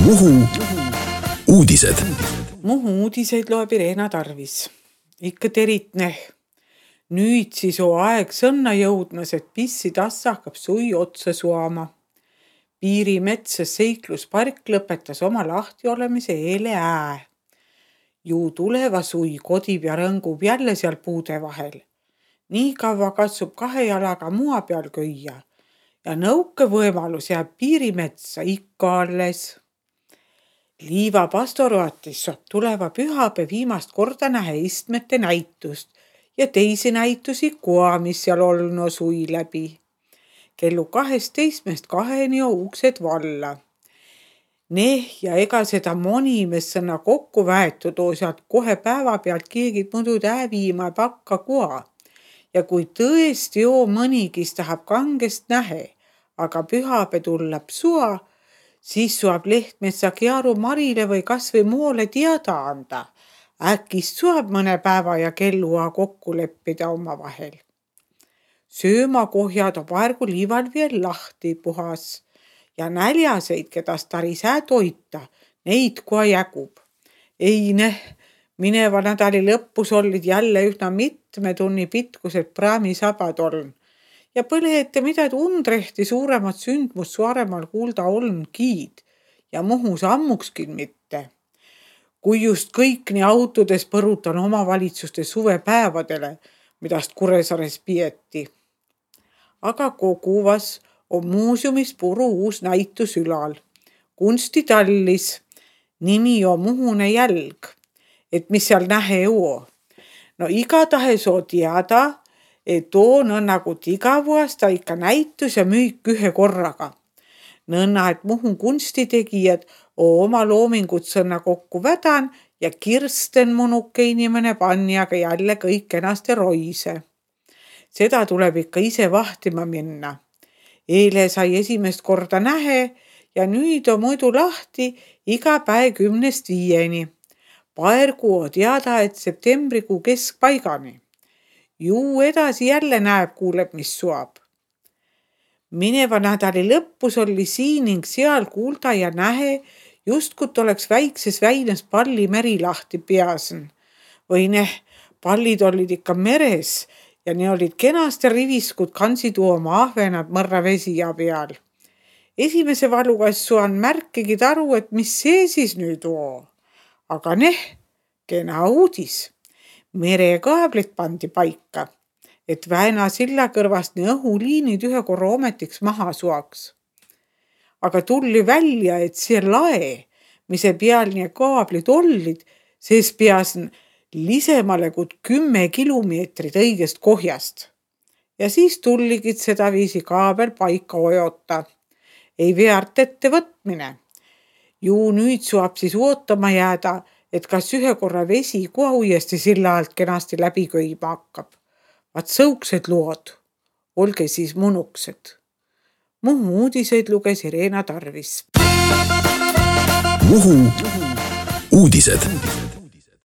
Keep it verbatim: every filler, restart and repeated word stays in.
Muhu uudised. Muhu uudiseid loeb Irena Tarvis. Ikka teritne. Nüüd siis on aeg sõnna jõudmas, et pissi tassa hakkab sui otsa suama. Piirimetsas seikluspark lõpetas oma lahti olemise eile ää. Ju tuleva sui kodib ja rõngub jälle seal puude vahel. Nii kaua katsub kahe jalaga mua peal köia ja nõuke võimalus jääb piirimetsa ikka alles. Liiva pastoratis saab tuleva pühapäev viimast korda nähe istmete näitust ja teisi näitusi koa, mis seal olno sui läbi. Kellu kaheteistkümnest kaheni on uksed valla. Neh ja ega seda monimes sõna kokku väetud oo sealt kohe päeva pealt keegi muidu täviima pakka koa. Ja kui tõesti oo mõnigis tahab kangest nähe, aga pühapäev tullab sua, siis suab Lehtmetsa Kiaru Marile või kasvõi moole teada anda. Äkist suab mõne päeva ja kellua kokku leppida oma vahel. Söömakohjad on praegu liival veel lahti puhas ja näljaseid, kedas taris ää toita, neid koa jägub. Ei neh, mineva nädali lõppus olid jälle üsna mitme tunni pitkused praamisabad oln. Ja põlehete midagi undrehti suuremat sündmust suaremal kuulda oln kiid ja Muhus ammukskin mitte. Kui just kõik nii autodes põrutan omavalitsuste suvepäevadele, midast Kuressaares pieti. Aga koguvas on muuseumis puru uus näitus ülal. Kunstitallis, nimi on Muhune jälg. Et mis seal nähe oo? No igatahes on teada, et on on nagu iga vuosta ikka näitus ja müük ühe korraga. Nõnna, et Muhu kunstitegijad on oma loomingut sõnna kokku vädan ja Kirsten Munuke inimene panjaga jälle kõik enaste roise. Seda tuleb ikka ise vahtima minna. Eile sai esimest korda nähe ja nüüd on muidu lahti iga päev kümnest viieni. Paergu on teada, et septembrikuu keskpaigani. Ju edasi jälle näeb, kuuleb, mis suab. Mineva nädali lõppus oli siin ning seal kuulda ja nähe, justkut oleks väikses väines palli meri lahti peasen. Või neh, pallid olid ikka meres ja ne olid kenasti riviskud kansi tuoma ahvenad mõrra vesija peal. Esimese valugassu on märkigi taru, et mis see siis nüüd on. Aga neh, kena uudis. Merekaablit pandi paika, et Väina silla kõrvast nii õhuliinid ühe korra ometiks maha suaks. Aga tulli välja, et see lae, mise peal nii kaablid ollid, sees peasen lisemale kui kümme kilomeetrit õigest kohjast. Ja siis tulligid seda viisi kaabel paika ojota. Ei veart ette võtmine. Ju nüüd suab siis ootama jääda, et kas ühe korra vesi koha uuesti silla alt kenasti läbi köima hakkab. Vaat sõuksed lood. Olge siis munuksed. Muhu uudiseid luges Irena Tarvis. Muhu uudised.